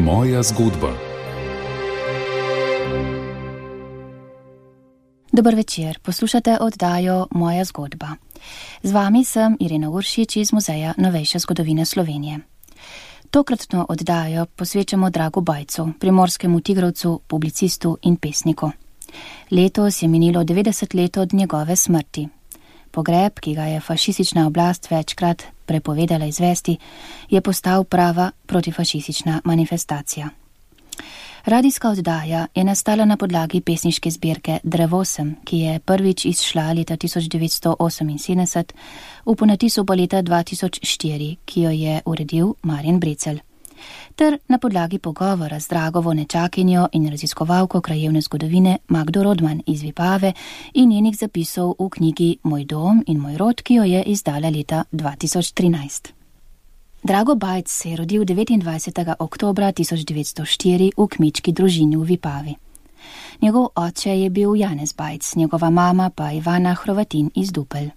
Moja zgodba. Dober večer, poslušate oddajo Moja zgodba. Z vami sem Irena Uršič iz Muzeja novejše zgodovine Slovenije. Tokratno oddajo posvečamo Dragu Bajcu, primorskemu tigrovcu, publicistu in pesniku. Letos je minilo 90 let od njegove smrti. Pogreb, ki ga je fašistična oblast večkrat prepovedala izvesti, je postal prava protifašistična manifestacija. Radijska oddaja je nastala na podlagi pesniške zbirke Drevosem, ki je prvič izšla leta 1978, v ponatisu pa leta 2004, ki jo je uredil Marjan Brecelj, ter na podlagi pogovora z Dragovo nečakinjo in raziskovalko krajevne zgodovine Magdo Rodman iz Vipave in njenih zapisov v knjigi Moj dom in moj rod, ki jo je izdala leta 2013. Drago Bajc se je rodil 29. oktobra 1904 v kmečki družini v Vipavi. Njegov oče je bil Janez Bajc, njegova mama pa Ivana Hrovatin iz Dupelj.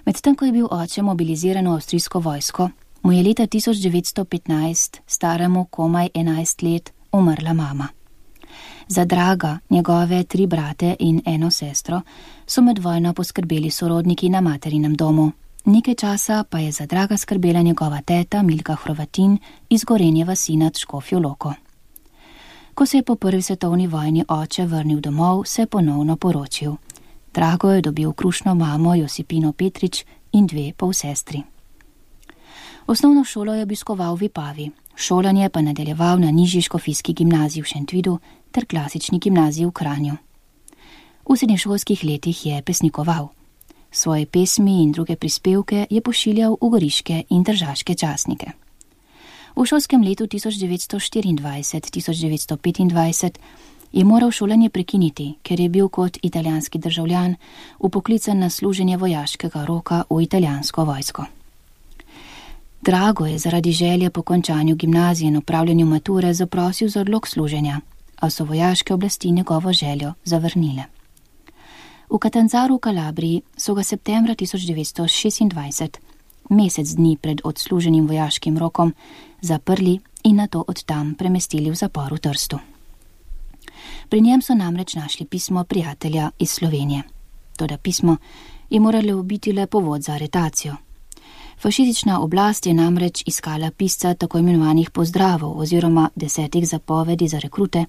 Medtem ko je bil oče mobiliziran v avstrijsko vojsko, mu je leta 1915, staremu komaj 11 let, umrla mama. Za Draga, njegove 3 brate in 1 sestro, so med vojno poskrbeli sorodniki na materinem domu. Nekaj časa pa je za Draga skrbela njegova teta Milka Hrovatin iz Gorenje vasi nad Škofjo Loko. Ko se je po prvi svetovni vojni oče vrnil domov, se je ponovno poročil. Drago je dobil krušno mamo Josipino Petrič in 2 polsestri. Osnovno šolo je obiskoval v Vipavi, šolanje pa nadaljeval na nižji škofijski gimnaziji v Šentvidu ter klasični gimnaziji v Kranju. V srednješolskih letih je pesnikoval. Svoje pesmi in druge prispevke je pošiljal v goriške in tržaške časnike. V šolskem letu 1924-1925 je moral šolanje prekiniti, ker je bil kot italijanski državljan vpoklican na služenje vojaškega roka v italijansko vojsko. Drago je zaradi želje po končanju gimnazije in opravljanju mature zaprosil za odlog služenja, a so vojaške oblasti njegovo željo zavrnile. V Catanzaru v Kalabriji so ga septembra 1926, mesec dni pred odsluženim vojaškim rokom, zaprli in nato od tam premestili v zapor v Trstu. Pri njem so namreč našli pismo prijatelja iz Slovenije. Toda pismo je moralo biti le povod za aretacijo. Fašistična oblast je namreč iskala pisca tako imenovanih pozdravov oziroma 10 zapovedi za rekrute,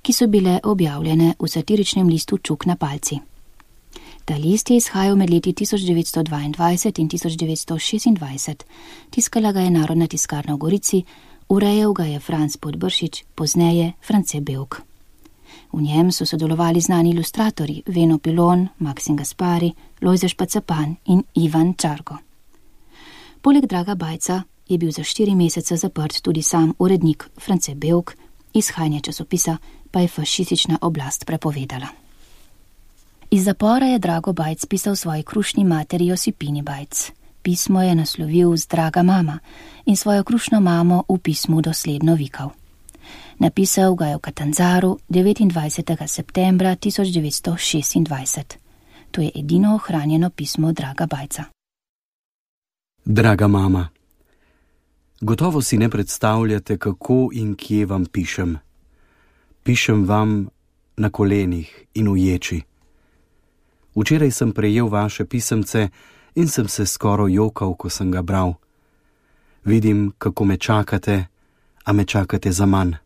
ki so bile objavljene v satiričnem listu Čuk na palci. Ta list je izhajal med leti 1922 in 1926, tiskala ga je Narodna tiskarna v Gorici, urejal ga je Franc Podbršič, pozneje France Bevk. V njem so sodelovali znani ilustratorji Veno Pilon, Maksim Gaspari, Lojze Špacapan in Ivan Čarko. Poleg Draga Bajca je bil za 4 mesece zaprt tudi sam urednik France Bevk, izhajanje časopisa pa je fašistična oblast prepovedala. Iz zapora je Drago Bajc pisal svoji krušni materi Josipini Bajc. Pismo je naslovil z Draga mama in svojo krušno mamo v pismu dosledno vikal. Napisal ga je v Catanzaru 29. septembra 1926. To je edino ohranjeno pismo Draga Bajca. Draga mama, gotovo si ne predstavljate, kako in kje vam pišem. Pišem vam na kolenih in v ječi. Včeraj sem prejel vaše pisemce in sem se skoraj jokal, ko sem ga bral. Vidim, kako me čakate, a me čakate zaman.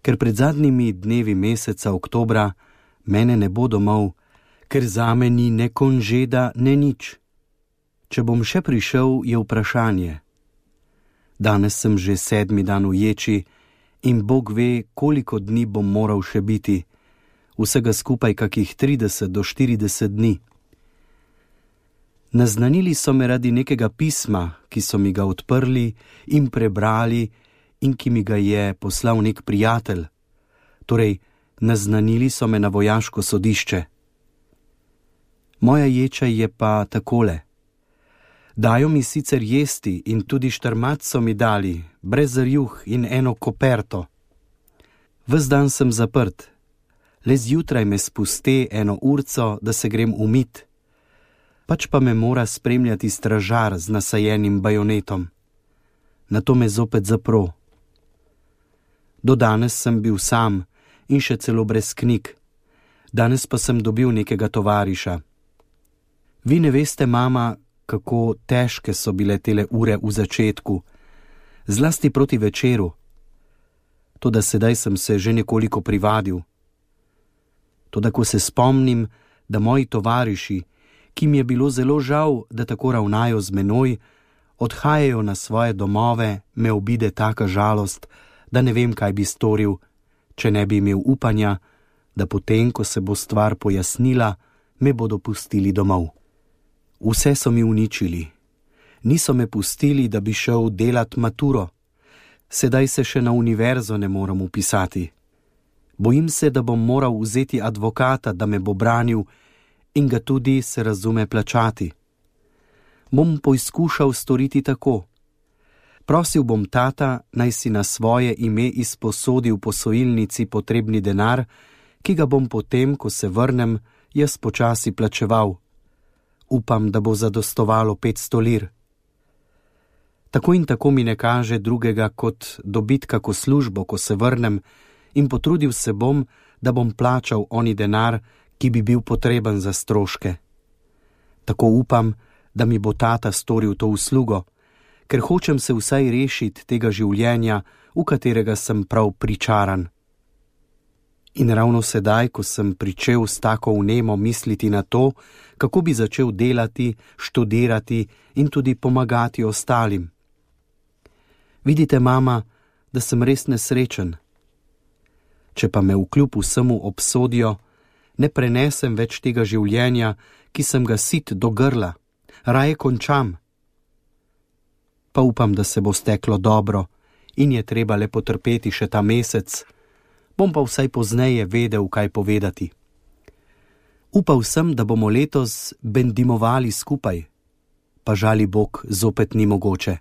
Ker pred zadnjimi dnevi meseca oktobra mene ne bo domov, ker zame ni ne konžeda, ne nič. Če bom še prišel, je vprašanje. Danes sem že 7. dan v ječi in Bog ve, koliko dni bom moral še biti. Vsega skupaj kakih 30 do 40 dni. Naznanili so me radi nekega pisma, ki so mi ga odprli in prebrali in ki mi ga je poslal nek prijatelj. Torej, naznanili so me na vojaško sodišče. Moja ječa je pa takole. Dajo mi sicer jesti in tudi štrmat so mi dali, brez rjuh in eno koperto. Ves dan sem zaprt. Le zjutraj me spusti 1 urco, da se grem umit. Pač pa me mora spremljati stražar z nasajenim bajonetom. Nato me zopet zapro. Do danes sem bil sam in še celo brez knjig. Danes pa sem dobil nekega tovariša. Vi ne veste, mama, kako težke so bile tele ure v začetku, zlasti proti večeru. Toda sedaj sem se že nekoliko privadil. Toda ko se spomnim, da moji tovariši, ki mi je bilo zelo žal, da tako ravnajo z menoj, odhajajo na svoje domove, me obide taka žalost, da ne vem, kaj bi storil, če ne bi imel upanja, da potem, ko se bo stvar pojasnila, me bodo pustili domov. Vse so mi uničili. Niso me pustili, da bi šel delat maturo. Sedaj se še na univerzo ne moram upisati. Bojim se, da bom moral vzeti advokata, da me bo branil in ga tudi, se razume, plačati. Bom poizkušal storiti tako. Prosil bom tata, naj si na svoje ime izposodi v posojilnici potrebni denar, ki ga bom potem, ko se vrnem, jaz počasi plačeval. Upam, da bo zadostovalo 500 lir. Tako in tako mi ne kaže drugega, kot dobiti kako službo, ko se vrnem, in potrudil se bom, da bom plačal oni denar, ki bi bil potreben za stroške. Tako upam, da mi bo tata storil to uslugo, ker hočem se vsaj rešiti tega življenja, v katerega sem prav pričaran. In ravno sedaj, ko sem pričel s tako vnemo misliti na to, kako bi začel delati, študirati in tudi pomagati ostalim. Vidite, mama, da sem res nesrečen. Če pa me vkljub vsemu obsodijo, ne prenesem več tega življenja, ki sem ga sit do grla, raje končam. Pa upam, da se bo steklo dobro in je treba le potrpeti še ta mesec, bom pa vsaj pozneje vedel, kaj povedati. Upal sem, da bomo letos bendimovali skupaj, pa žali Bog zopet ni mogoče.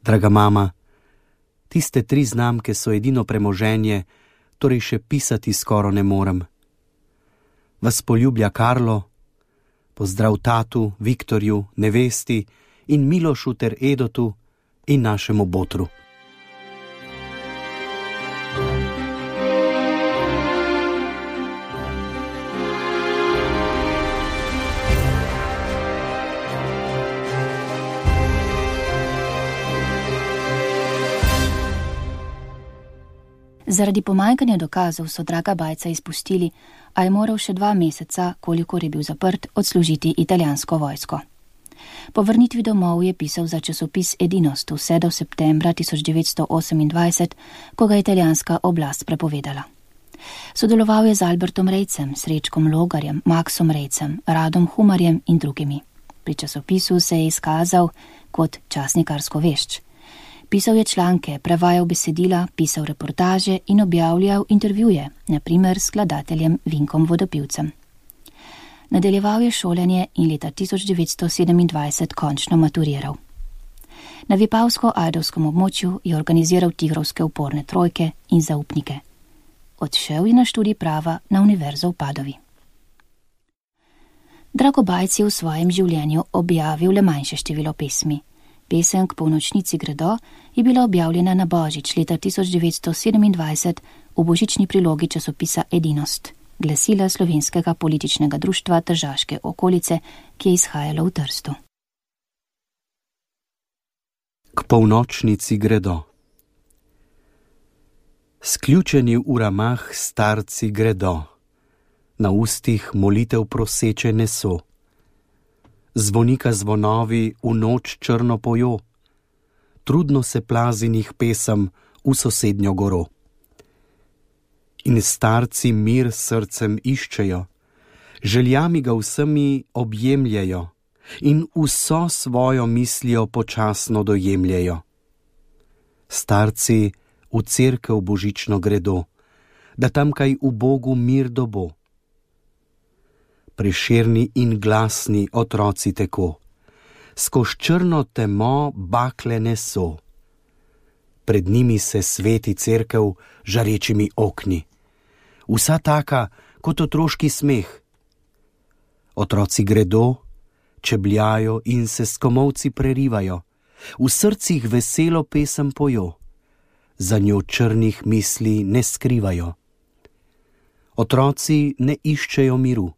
Draga mama, tiste 3 znamke so edino premoženje, torej še pisati skoro ne morem. Vas poljublja Karlo, pozdrav tatu, Viktorju, nevesti in Milošu ter Edotu in našemu Botru. Zaradi pomanjkanja dokazov so draga Bajca izpustili, a je moral še 2 meseca, kolikor je bil zaprt, odslužiti italijansko vojsko. Po vrnitvi domov je pisal za časopis Edinost vse do septembra 1928, ko ga je italijanska oblast prepovedala. Sodeloval je z Albertom Rejcem, Srečkom Logarjem, Maksom Rejcem, Radom Humarjem in drugimi. Pri časopisu se je izkazal kot časnikarsko vešč. Pisal je članke, prevajal besedila, pisal reportaže in objavljal intervjuje, na primer s skladateljem Vinkom Vodopivcem. Nadaljeval je šolanje in leta 1927 končno maturiral. Na Vipavsko-Ajdovskem območju je organiziral tigrovske uporne trojke in zaupnike. Odšel je na študij prava na Univerzo v Padovi. Drago Bajc je v svojem življenju objavil le manjše število pesmi. Pesem K polnočnici gredo je bila objavljena na Božič leta 1927 v božični prilogi časopisa Edinost, glasila Slovenskega političnega društva Tržaške okolice, ki je izhajalo v Trstu. K polnočnici gredo. Sključeni v ramah starci gredo, na ustih molitev proseče neso. Zvonika zvonovi v noč črno pojo, trudno se plazinih pesem v sosednjo goro. In starci mir srcem iščejo, željami ga vsemi objemljajo in vso svojo mislijo počasno dojemljajo. Starci v cerkev božično gredo, da tamkaj v Bogu mir dobo. Prešerni in glasni otroci teko, skoz črno temo bakle neso. Pred njimi se sveti cerkev žarečimi okni, vsa taka kot otroški smeh. Otroci gredo, čebljajo in se s komolci prerivajo, v srcih veselo pesem pojo. za njo črnih misli ne skrivajo. Otroci ne iščejo miru.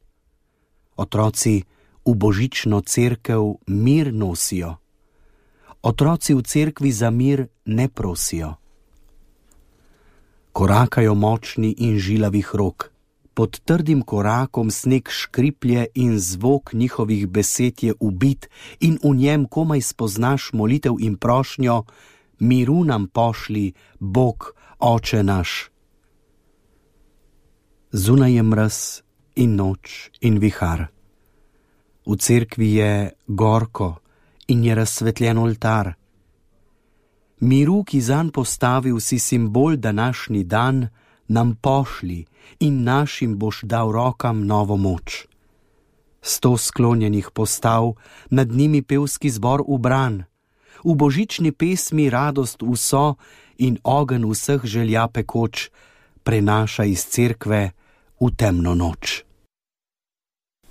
Otroci v božično cerkev mir nosijo. Otroci v cerkvi za mir ne prosijo. Korakajo močni in žilavih rok. Pod trdim korakom sneg škriplje in zvok njihovih besed je ubit in v njem komaj spoznaš molitev in prošnjo: miru nam pošli, Bog, Oče naš. Zunaj je mraz in noč in vihar. V cerkvi je gorko in je razsvetljen oltar. Miru, ki zanj postavil si simbol današnji dan, nam pošli in našim boš dal rokam novo moč. 100 sklonjenih postav, nad njimi pevski zbor ubran, v božični pesmi radost vso in ogenj vseh želja pekoč prenaša iz cerkve v temno noč.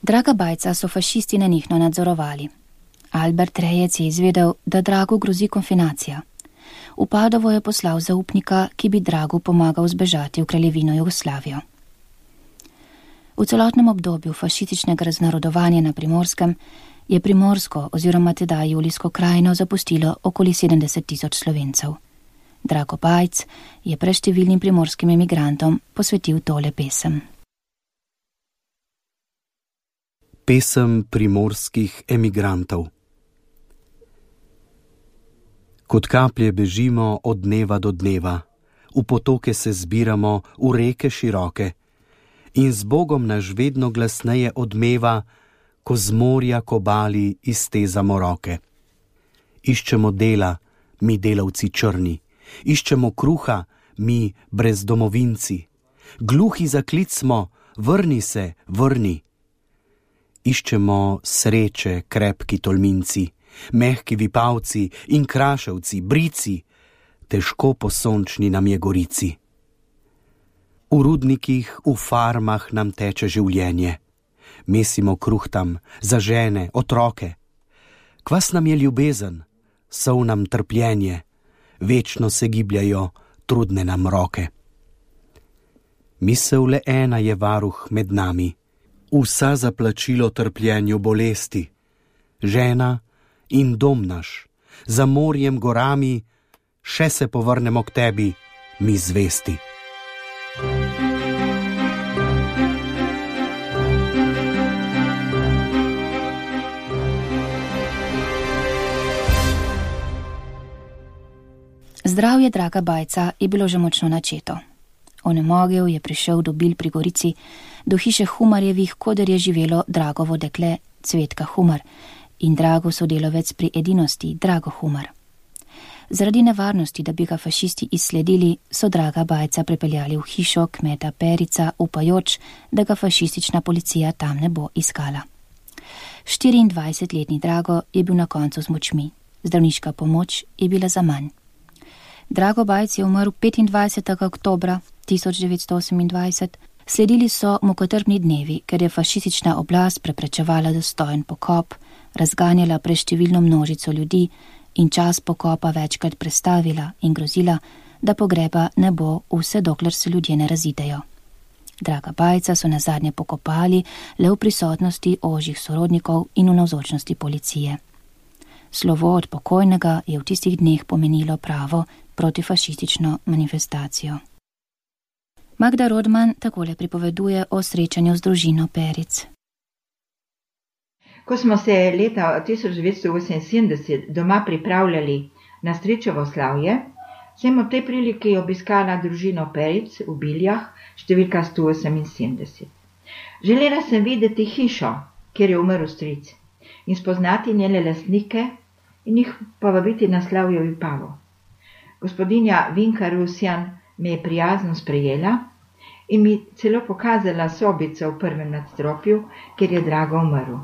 Draga Bajca so fašisti nenehno nadzorovali. Albert Rejec je izvedel, da Dragu grozi konfinacija. V Padovo je poslal zaupnika, ki bi Dragu pomagal zbežati v kraljevino Jugoslavijo. V celotnem obdobju fašističnega raznarodovanja na Primorskem je Primorsko oziroma tedaj Julijsko krajino zapustilo okoli 70 000 Slovencev. Drago Bajc je preštevilnim primorskim emigrantom posvetil tole pesem. Pesem primorskih emigrantov. Kot kaplje bežimo od dneva do dneva, v potoke se zbiramo, v reke široke, in z Bogom naš vedno glasneje odmeva, ko z morja kobali iztezamo roke. Iščemo dela, mi delavci črni, iščemo kruha, mi brezdomovinci, gluhi za klic smo, vrni se, vrni. Iščemo sreče, krepki tolminci, mehki vipavci in kraševci, brici, težko po sončni nam je gorici. V rudnikih, v farmah nam teče življenje, mesimo kruh tam za žene, otroke. Kvas nam je ljubezen, sol nam trpljenje, večno se gibljajo trudne nam roke. Misel le ena je varuh med nami, vsa za plačilo trpljenju bolesti. Žena in dom naš, za morjem gorami, še se povrnemo k tebi, mi zvesti. Zdravje Draga Bajca je bilo že močno načeto. Onemogel je prišel do Bil pri Gorici, do hiše Humarjevih, koder je živelo Dragovo dekle Cvetka Humar in Drago sodelovec pri edinosti Drago Humar. Zaradi nevarnosti, da bi ga fašisti izsledili, so Draga Bajca prepeljali v hišo kmeta Perica, upajoč, da ga fašistična policija tam ne bo iskala. 24-letni Drago je bil na koncu z močmi, zdravniška pomoč je bila zamanj. Drago Bajc je umrl 25. oktobra 1928, sledili so mukotrpni dnevi, ker je fašistična oblast preprečevala dostojen pokop, razganjala preštevilno množico ljudi in čas pokopa večkrat prestavila in grozila, da pogreba ne bo vse dokler se ljudje ne razidejo. Draga Bajca so nazadnje pokopali le v prisotnosti ožjih sorodnikov in v navzočnosti policije. Slovo od pokojnega je v tistih dneh pomenilo pravo protifašistično manifestacijo. Magda Rodman takole pripoveduje o srečanju z družino Peric. Ko smo se leta 1978 doma pripravljali na stričevo slavje, sem v tej priliki obiskala družino Peric v Biljah, številka 178. Želela sem videti hišo, kjer je umrl stric, in spoznati njene lastnike in jih povabiti na slavje v Vipavo. Gospodinja Vinka Rusjan me je prijazno sprejela in mi celo pokazala sobico v prvem nadstropju, kjer je Drago umrl.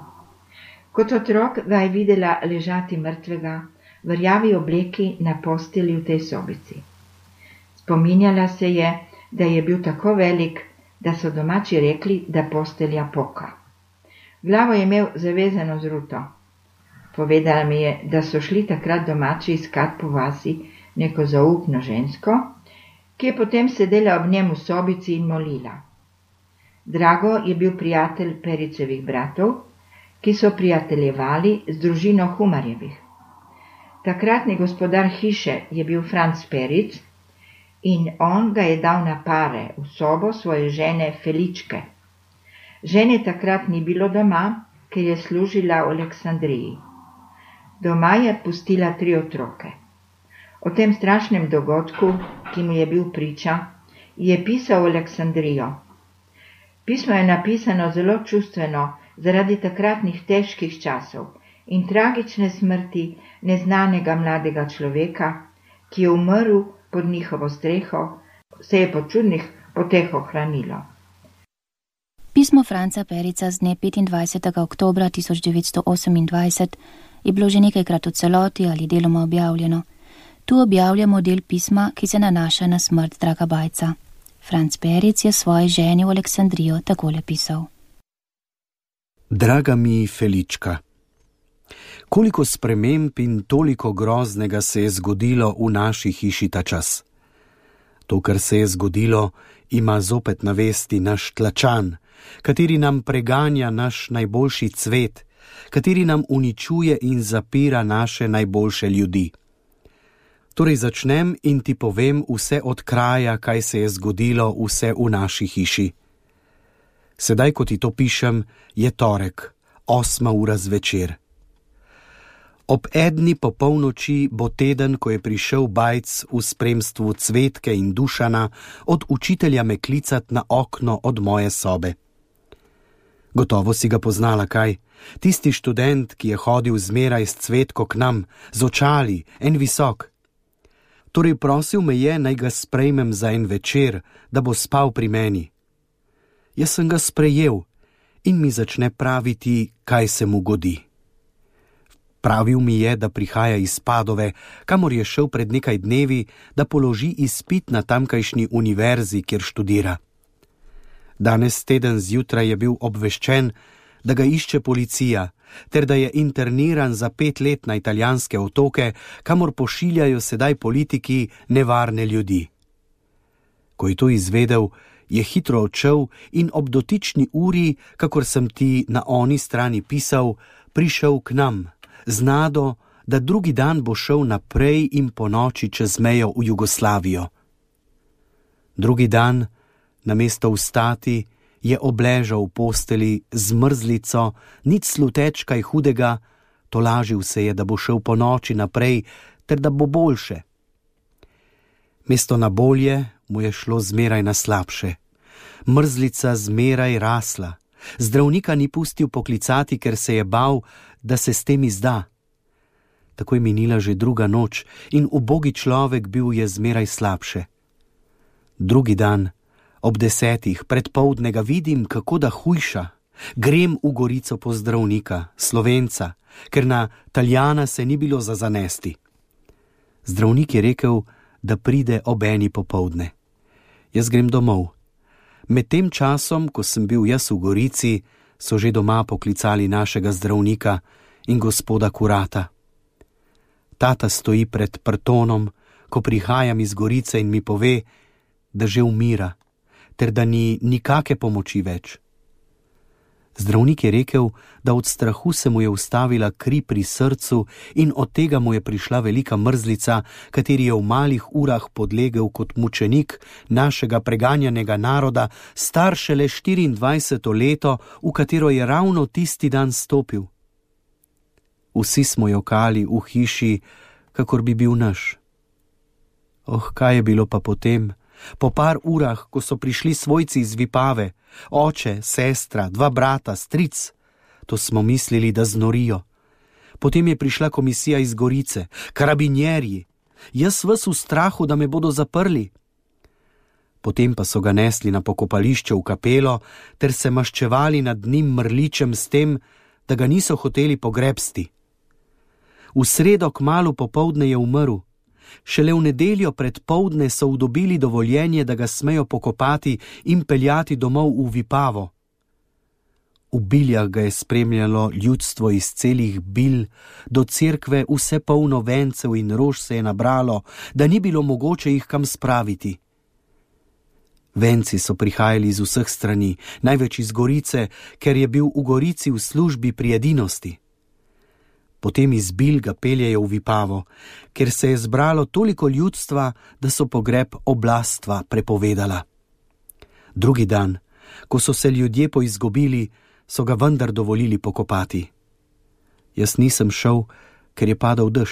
Kot otrok ga je videla ležati mrtvega v rjavi obleki na postelji v tej sobici. Spominjala se je, da je bil tako velik, da so domači rekli, da postelja poka. Glavo je imel zavezano z ruto. Povedala mi je, da so šli takrat domači iskat po vasi neko zaupno žensko, ki je potem sedela ob njem v sobici in molila. Drago je bil prijatelj Pericevih bratov, ki so prijateljevali z družino Humarjevih. Takratni gospodar hiše je bil Franc Peric in on ga je dal na pare v sobo svoje žene Feličke. Žene takrat ni bilo doma, ker je služila v Aleksandriji. Doma je pustila 3 otroke. O tem strašnem dogodku, ki mu je bil priča, je pisal v Aleksandrijo. Pismo je napisano zelo čustveno zaradi takratnih težkih časov in tragične smrti neznanega mladega človeka, ki je umrl pod njihovo streho, se je po čudnih poteh ohranilo. Pismo Franca Perica z dne 25. oktobra 1928 je bilo že nekajkrat v celoti ali deloma objavljeno. Tu objavljamo del pisma, ki se nanaša na smrt Draga Bajca. Franc Peric je svoji ženi v Aleksandrijo takole pisal. Draga mi Felička, koliko sprememb in toliko groznega se je zgodilo v naši hiši ta čas. To, kar se je zgodilo, ima zopet na vesti naš tlačan, kateri nam preganja naš najboljši cvet, kateri nam uničuje in zapira naše najboljše ljudi. Torej začnem in ti povem vse od kraja, kaj se je zgodilo vse v naši hiši. Sedaj, ko ti to pišem, je torek, 8. ura zvečer. Ob 1. po polnoči bo teden, ko je prišel Bajc v spremstvu Cvetke in Dušana od učitelja me klicat na okno od moje sobe. Gotovo si ga poznala, kaj? Tisti študent, ki je hodil zmeraj s Cvetko k nam, z očali, en visok. Torej prosil me je, naj ga sprejmem za en večer, da bo spal pri meni. Jaz sem ga sprejel in mi začne praviti, kaj se mu godi. Pravil mi je, da prihaja iz Padove, kamor je šel pred nekaj dnevi, da položi izpit na tamkajšnji univerzi, kjer študira. Danes teden zjutraj je bil obveščen, da ga išče policija, ter da je interniran za 5 let na italijanske otoke, kamor pošiljajo sedaj politiki nevarne ljudi. Ko je to izvedel, je hitro odšel in ob dotični uri, kakor sem ti na oni strani pisal, prišel k nam, z nado, da drugi dan bo šel naprej in po noči čez mejo v Jugoslavijo. Drugi dan, namesto vstati, je obležal v posteli z mrzlico, nič sluteč kaj hudega, tolažil se je, da bo šel po noči naprej, ter da bo boljše. Mesto na bolje mu je šlo zmeraj na slabše. Mrzlica zmeraj rasla. Zdravnika ni pustil poklicati, ker se je bal, da se s tem izda. Tako je minila že druga noč in ubogi človek bil je zmeraj slabše. Drugi dan, ob 10. predpoldne ga vidim, kako da hujša. Grem v Gorico po zdravnika, Slovenca, ker na Taljana se ni bilo za zanesti. Zdravnik je rekel, da pride ob 1. popoldne. Jaz grem domov. Med tem časom, ko sem bil jaz v Gorici, so že doma poklicali našega zdravnika in gospoda kurata. Tata stoji pred prtonom, ko prihajam iz Gorice in mi pove, da že umira, ter da ni nikake pomoči več. Zdravnik je rekel, da od strahu se mu je ustavila kri pri srcu in od tega mu je prišla velika mrzlica, kateri je v malih urah podlegel kot mučenik našega preganjanega naroda, star šele 24. leto, v katero je ravno tisti dan stopil. Vsi smo jokali v hiši, kakor bi bil naš. Kaj je bilo pa potem? Po par urah, ko so prišli svojci iz Vipave, oče, sestra, 2 brata, stric, to smo mislili, da znorijo. Potem je prišla komisija iz Gorice, karabinjerji, jaz ves v strahu, da me bodo zaprli. Potem pa so ga nesli na pokopališče v kapelo, ter se maščevali nad njim mrličem s tem, da ga niso hoteli pogrebsti. V sredo kmalu popoldne je umrl. Šele v nedeljo pred poldne so udobili dovoljenje, da ga smejo pokopati in peljati domov v Vipavo. V Biljah ga je spremljalo ljudstvo iz celih Bilj, do cerkve vse polno vencev in rož se je nabralo, da ni bilo mogoče jih kam spraviti. Venci so prihajali iz vseh strani, največ iz Gorice, ker je bil v Gorici v službi pri edinosti. Potem iz Bil ga peljejo v Vipavo, ker se je zbralo toliko ljudstva, da so pogreb oblastva prepovedala. Drugi dan, ko so se ljudje poizgubili, so ga vendar dovolili pokopati. Jaz nisem šel, ker je padal dež.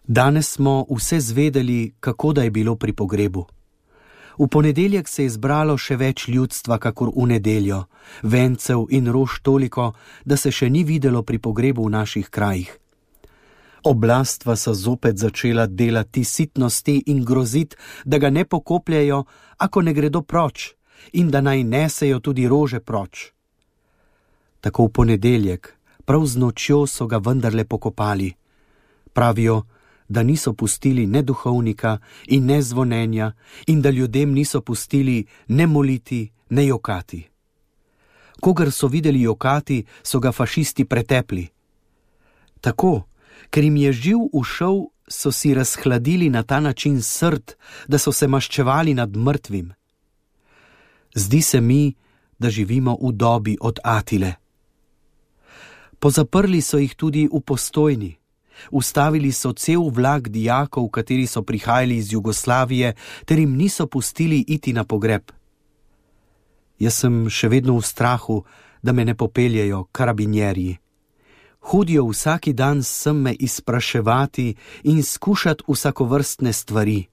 Danes smo vse zvedeli, kako da je bilo pri pogrebu. V ponedeljek se je zbralo še več ljudstva, kakor v nedeljo, vencev in rož toliko, da se še ni videlo pri pogrebu v naših krajih. Oblastva so zopet začela delati sitnosti in grozit, da ga ne pokopljajo, ako ne gredo proč, in da naj nesejo tudi rože proč. Tako v ponedeljek, prav z nočjo so ga vendarle pokopali. Pravijo, da niso pustili ne duhovnika in ne zvonenja in da ljudem niso pustili ne moliti, ne jokati. Kogar so videli jokati, so ga fašisti pretepli. Tako, ker jim je živ ušel, so si razhladili na ta način srd, da so se maščevali nad mrtvim. Zdi se mi, da živimo v dobi od Atile. Pozaprli so jih tudi v Postojni. Ustavili so cel vlak dijakov, kateri so prihajali iz Jugoslavije, ter jim niso pustili iti na pogreb. Jaz sem še vedno v strahu, da me ne popeljejo karabinjerji. Hodijo vsaki dan sem me izpraševati in skušati vsakovrstne stvari.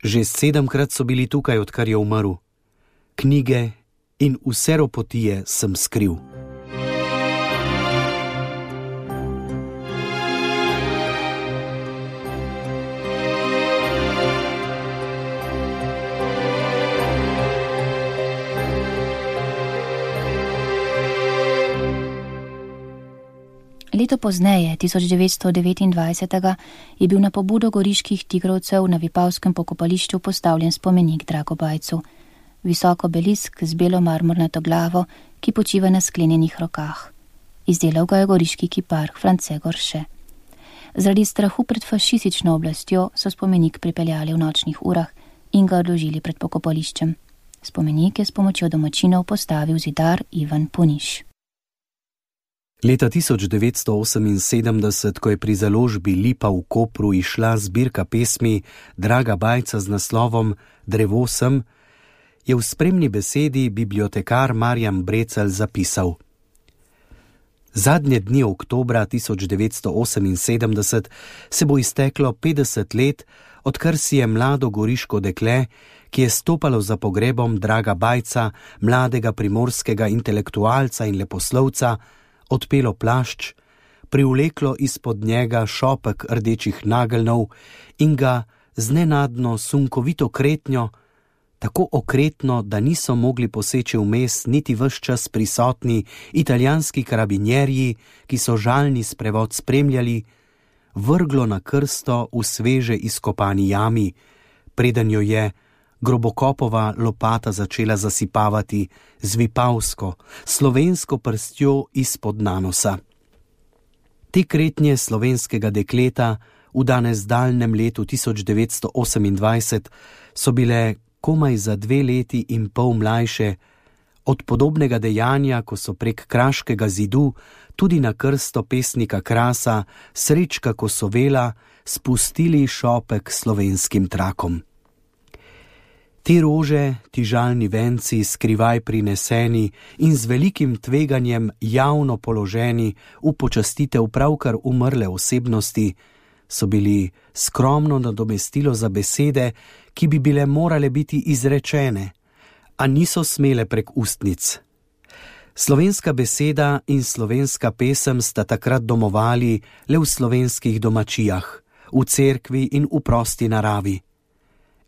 Že 7-krat so bili tukaj, odkar je umrl. Knjige in vse ropotije sem skril. Leto pozneje, 1929, je bil na pobudo goriških tigrovcev na Vipavskem pokopališču postavljen spomenik Dragobajcu. Visok obelisk z belo marmornato glavo, ki počiva na sklenjenih rokah. Izdelal ga je goriški kipar France Gorše. Zaradi strahu pred fašistično oblastjo so spomenik pripeljali v nočnih urah in ga odložili pred pokopališčem. Spomenik je s pomočjo domačinov postavil zidar Ivan Puniš. Leta 1978, ko je pri založbi Lipa v Kopru išla zbirka pesmi Draga Bajca z naslovom Drevo sem, je v spremni besedi bibliotekar Marjan Brecelj zapisal: Zadnje dni oktobra 1978 se bo izteklo 50 let, odkar si je mlado goriško dekle, ki je stopalo za pogrebom Draga Bajca, mladega primorskega intelektualca in leposlovca, odpelo plašč, privleklo izpod njega šopek rdečih nageljnov in ga z nenadno sunkovito kretnjo, tako okretno, da niso mogli poseči vmes niti ves čas prisotni italijanski karabinjerji, ki so žalni sprevod spremljali, vrglo na krsto v sveže izkopani jami, preden jo je Grobokopova lopata začela zasipavati z vipavsko, slovensko prstjo izpod nanosa. Te kretnje slovenskega dekleta v danes daljnem letu 1928 so bile komaj za 2 leti in pol mlajše od podobnega dejanja, ko so prek Kraškega zidu tudi na krsto pesnika Krasa Srečka Kosovela spustili šopek slovenskim trakom. Te rože, ti žalni venci, skrivaj prineseni in z velikim tveganjem javno položeni v počastitev pravkar umrle osebnosti, so bili skromno nadomestilo za besede, ki bi bile morale biti izrečene, a niso smele prek ustnic. Slovenska beseda in slovenska pesem sta takrat domovali le v slovenskih domačijah, v cerkvi in v prosti naravi.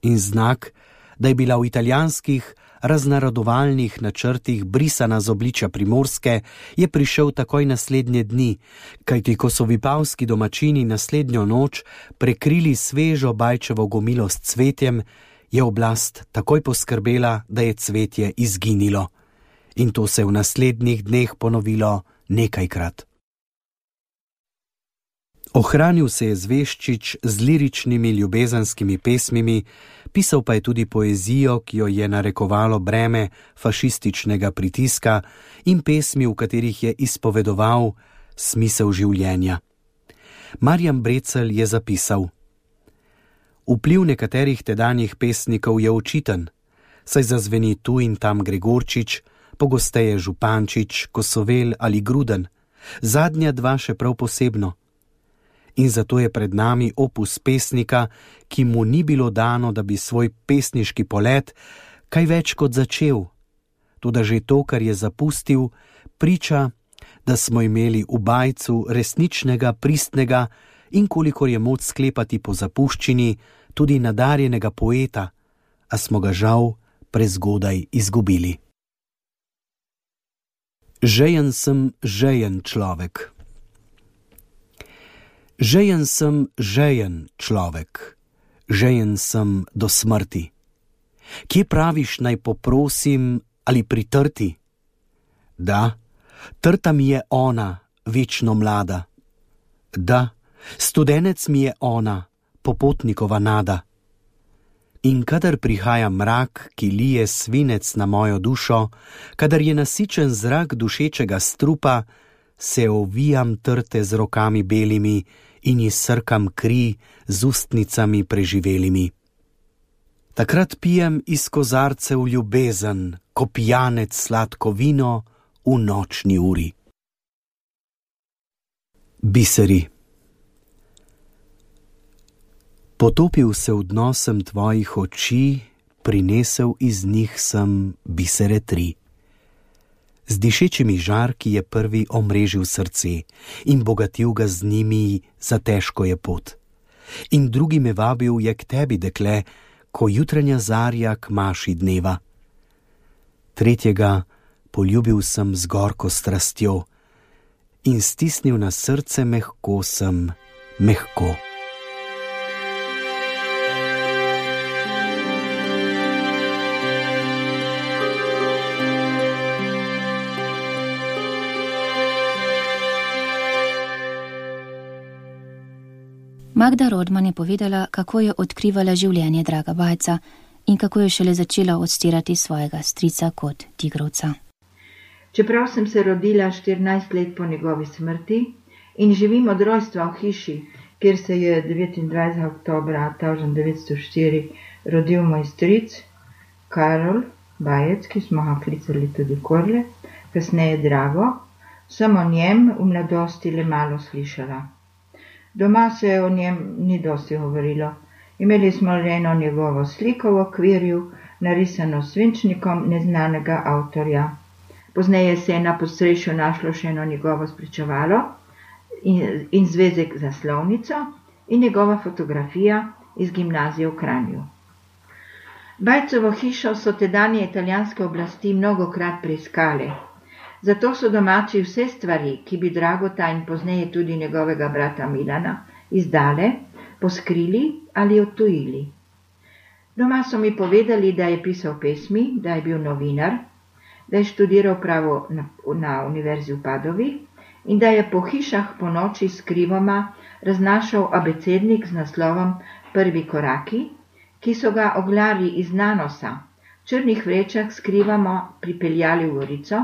In znak, da je bila v italijanskih raznaradovalnih načrtih brisana z obličja Primorske, je prišel takoj naslednje dni, kajti ko so vipavski domačini naslednjo noč prekrili svežo Bajčevo gomilo s cvetjem, je oblast takoj poskrbela, da je cvetje izginilo. In to se v naslednjih dneh ponovilo nekajkrat. Ohranil se je Zveščič z liričnimi ljubezenskimi pesmimi, pisal pa je tudi poezijo, ki jo je narekovalo breme fašističnega pritiska, in pesmi, v katerih je izpovedoval smisel življenja. Marjan Brecelj je zapisal: Vpliv nekaterih tedanjih pesnikov je očiten, saj zazveni tu in tam Gregorčič, pogosteje Župančič, Kosovel ali Gruden, zadnja dva še prav posebno. In zato je pred nami opus pesnika, ki mu ni bilo dano, da bi svoj pesniški polet kaj več kot začel. Toda že to, kar je zapustil, priča, da smo imeli v Bajcu resničnega, pristnega in, kolikor je moč sklepati po zapuščini, tudi nadarjenega poeta, a smo ga žal prezgodaj izgubili. Žejen sem žejen človek. Žejen sem žejen človek, žejen sem do smrti. Kje praviš, naj poprosim ali pritrti? Da, trta mi je ona, večno mlada. Da, studenec mi je ona, popotnikova nada. In kadar prihaja mrak, ki lije svinec na mojo dušo, kadar je nasičen zrak dušečega strupa, se ovijam trte z rokami belimi in izsrkam kri z ustnicami preživelimi. Takrat pijem iz kozarcev ljubezen, ko pijanec sladko vino v nočni uri. Biseri. Potopil se v dno sem tvojih oči, prinesel iz njih sem bisere 3. Z dišečimi žarki je prvi omrežil srce in bogatil ga z njimi za težko je pot. In drugi me vabil je k tebi, dekle, ko jutranja zarja k maši dneva. Tretjega poljubil sem z gorko strastjo in stisnil na srce mehko sem, mehko. Magda Rodman je povedala, kako je odkrivala življenje Draga Bajca in kako je šele začela odstirati svojega strica kot tigrovca. Čeprav sem se rodila 14 let po njegovi smrti in živim od rojstva v hiši, kjer se je 29. oktobra 1904 rodil moj stric Karol Bajec, ki smo ga klicali tudi Korle, kasneje Drago, sem o njem v mladosti le malo slišala. Doma se o njem ni dosti govorilo. Imeli smo le eno njegovo sliko v okvirju, narisano s svinčnikom neznanega avtorja. Pozneje se je na podstrešju našlo še eno njegovo spričevalo in zvezek za slovnico in njegova fotografija iz gimnazije v Kranju. Bajcovo hišo so tedanje italijanske oblasti mnogokrat preiskale. Zato so domači vse stvari, ki bi Dragota in pozneje tudi njegovega brata Milana izdale, poskrili ali odtujili. Doma so mi povedali, da je pisal pesmi, da je bil novinar, da je študiral pravo na univerzi v Padovi in da je po hišah po noči skrivoma raznašal abecednik z naslovom Prvi koraki, ki so ga oglarji iz nanosa v črnih vrečah skrivamo pripeljali v Gorico,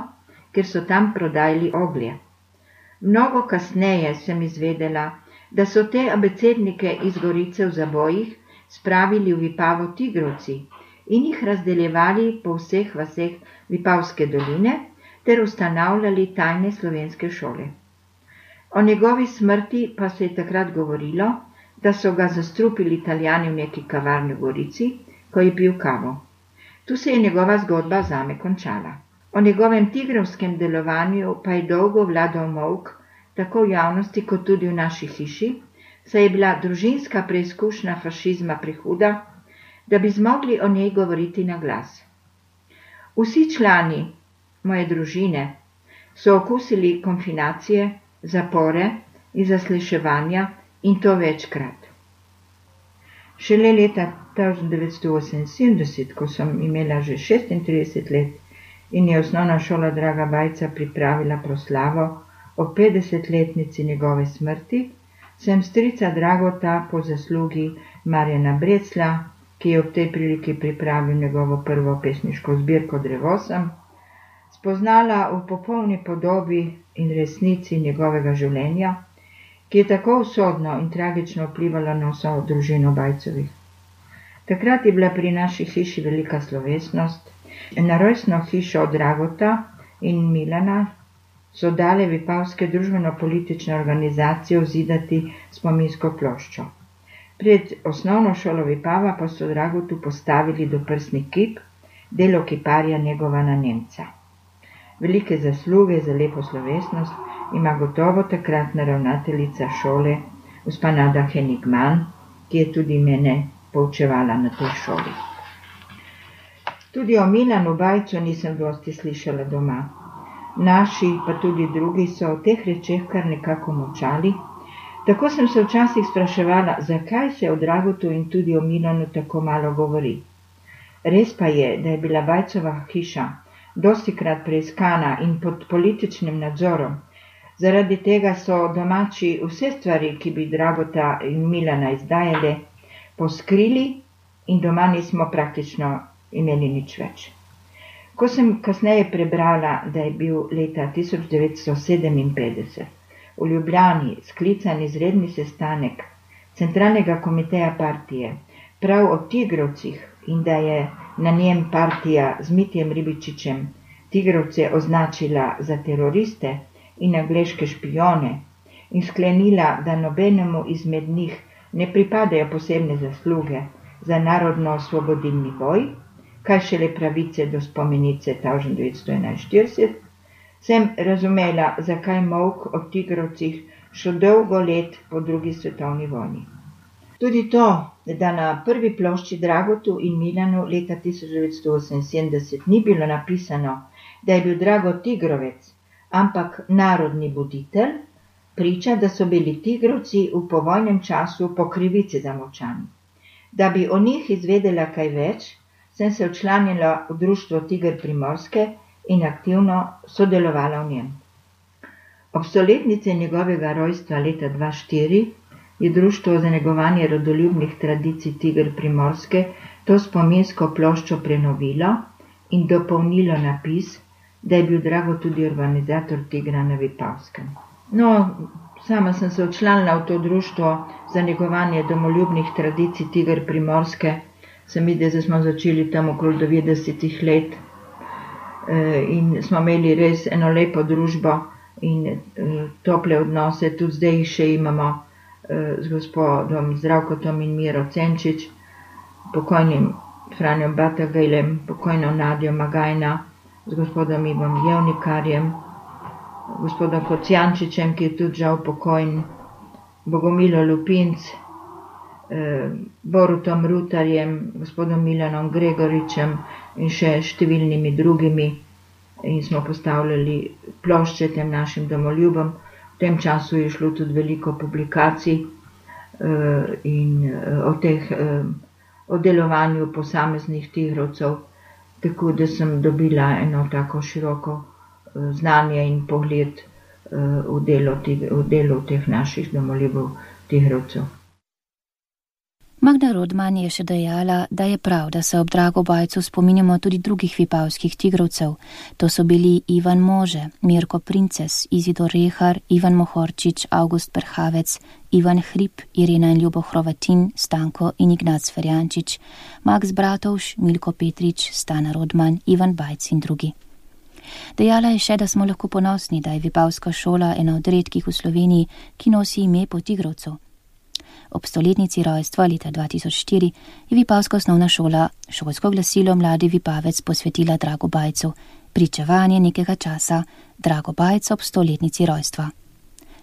ker so tam prodajali oglje. Mnogo kasneje sem izvedela, da so te abecednike iz Gorice v zabojih spravili v Vipavo tigrovci in jih razdeljevali po vseh vaseh Vipavske doline ter ustanavljali tajne slovenske šole. O njegovi smrti pa se je takrat govorilo, da so ga zastrupili Italijani v neki kavarni v Gorici, ko je pil kavo. Tu se je njegova zgodba zame končala. O njegovem tigrovskem delovanju pa je dolgo vladal molk, tako v javnosti kot tudi v naši hiši, saj je bila družinska preizkušnja fašizma prehuda, da bi zmogli o njej govoriti na glas. Vsi člani moje družine so okusili konfinacije, zapore in zasliševanja in to večkrat. Šele leta 1978, ko sem imela že 36 let, in je osnovna šola Draga Bajca pripravila proslavo o 50-letnici njegove smrti, sem strica Dragota po zaslugi Marjana Brecla, ki je ob tej priliki pripravil njegovo prvo pesniško zbirko Drevosem, spoznala v popolni podobi in resnici njegovega življenja, ki je tako usodno in tragično vplivala na vso družino Bajcovih. Takrat je bila pri naši hiši velika slovesnost. Na rojstno hišo Dragota in Milana so dale vipavske družbeno-politične organizacije vzidati spominsko ploščo. Pred osnovno šolo Vipava pa so Dragotu postavili doprsni kip, delo kiparja Negovana Nemca. Velike zasluge za lepo slovesnost ima gotovo takratna ravnateljica šole, gospa Nada Henigman, ki je tudi mene poučevala na tej šoli. Tudi o Milanu Bajcu nisem dosti slišala doma. Naši, pa tudi drugi, so o teh rečeh kar nekako molčali. Tako sem se včasih spraševala, zakaj se o Dragotu in tudi o Milanu tako malo govori. Res pa je, da je bila Bajcova hiša dostikrat preiskana in pod političnim nadzorom. Zaradi tega so domači vse stvari, ki bi Dragota in Milana izdajale, poskrili in doma nismo praktično imeli nič več. Ko sem kasneje prebrala, da je bil leta 1957 v Ljubljani sklican izredni sestanek Centralnega komiteja partije prav o tigrovcih in da je na njem partija z Mitjem Ribičičem tigrovce označila za teroriste in angleške špijone in sklenila, da nobenemu izmed njih ne pripadajo posebne zasluge za narodno-osvobodilni boj, kaj šele pravice do spomenice 1941, sem razumela, zakaj molk o tigrovcih še dolgo let po drugi svetovni vojni. Tudi to, da na prvi plošči Dragotu in Milanu leta 1978 ni bilo napisano, da je bil Dragot tigrovec, ampak narodni buditelj, priča, da so bili tigrovci v povojnem času po krivici zamolčani. Da bi o njih izvedela kaj več, sem se včlanila v društvo Tiger Primorske in aktivno sodelovala v njem. Ob stoletnici njegovega rojstva leta 2004 je Društvo za negovanje rodoljubnih tradicij Tiger Primorske to spominsko ploščo prenovilo in dopolnilo napis, da je bil Dragot tudi organizator Tigra na Vipavskem. No, sama sem se včlanila v to društvo za negovanje domoljubnih tradicij Tiger Primorske. Se mi, da smo začeli tam okrog 90 let in smo imeli res eno lepo družbo in tople odnose, tudi zdaj jih še imamo z gospodom Zdravkotom in Miro Cenčič, pokojnim Franjom Batagajlem, pokojno Nadjo Magajna, z gospodom Ivom Jevnikarjem, gospodom Kocijančičem, ki je tudi žal pokojn, Bogomilo Lupinc, Borutom Rutarjem, gospodom Milanom Gregoričem in še številnimi drugimi in smo postavljali plošče tem našim domoljubom. V tem času je šlo tudi veliko publikacij in o delovanju posameznih tigrovcev, tako da sem dobila eno tako široko znanje in pogled v delu teh naših domoljubov tigrovcev. Magda Rodman je še dejala, da je prav, da se ob Dragobajcu spominjamo tudi drugih vipavskih tigrovcev. To so bili Ivan Može, Mirko Princes, Izidor Rehar, Ivan Mohorčič, August Perhavec, Ivan Hrib, Irena in Ljubo Hrovatin, Stanko in Ignac Ferjančič, Max Bratovš, Milko Petrič, Stana Rodman, Ivan Bajc in drugi. Dejala je še, da smo lahko ponosni, da je vipavska šola ena od redkih v Sloveniji, ki nosi ime po tigrovcu. Ob stoletnici rojstva leta 2004 je vipavska osnovna šola šolsko glasilo Mladi Vipavec posvetila Dragobajcu, pričevanje nekega časa Dragobajc ob stoletnici rojstva.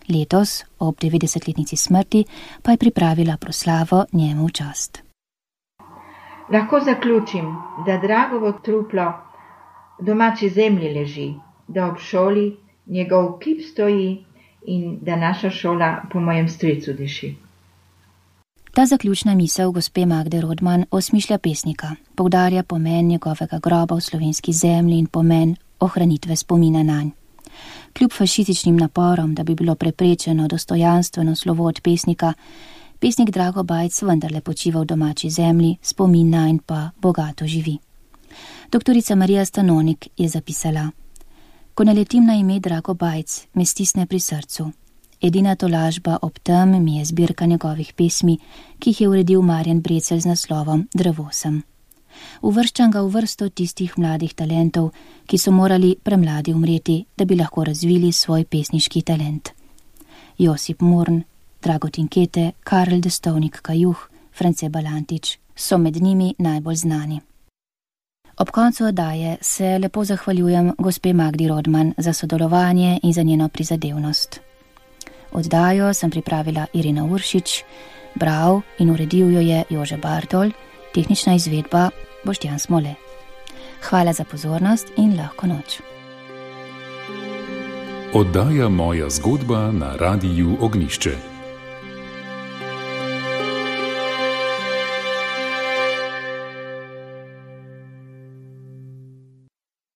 Letos, ob 90-letnici smrti, pa je pripravila proslavo njemu v čast. Lahko zaključim, da Dragovo truplo domači zemlji leži, da ob šoli njegov kip stoji in da naša šola po mojem stricu diši. Ta zaključna misel gospe Magde Rodman osmišlja pesnika, poudarja pomen njegovega groba v slovenski zemlji in pomen ohranitve spomina nanj. Kljub fašističnim naporom, da bi bilo preprečeno dostojanstveno slovo od pesnika, pesnik Drago Bajc vendarle počiva v domači zemlji, spomina in pa bogato živi. Doktorica Marija Stanonik je zapisala: Ko naletim na ime Drago Bajc, me stisne pri srcu. Edina tolažba ob tem mi je zbirka njegovih pesmi, ki jih je uredil Marjan Brecelj z naslovom Drevo sem. Uvrščam ga v vrsto tistih mladih talentov, ki so morali premladi umreti, da bi lahko razvili svoj pesniški talent. Josip Murn, Dragutin Kete, Karel Destovnik Kajuh, France Balantič so med njimi najbolj znani. Ob koncu oddaje se lepo zahvaljujem gospe Magdi Rodman za sodelovanje in za njeno prizadevnost. Oddajo sem pripravila Irina Uršič, bral in uredil jo je Jože Bartol, tehnična izvedba Boštjan Smole. Hvala za pozornost in lahko noč. Oddaja Moja zgodba na Radiu Ognjišče.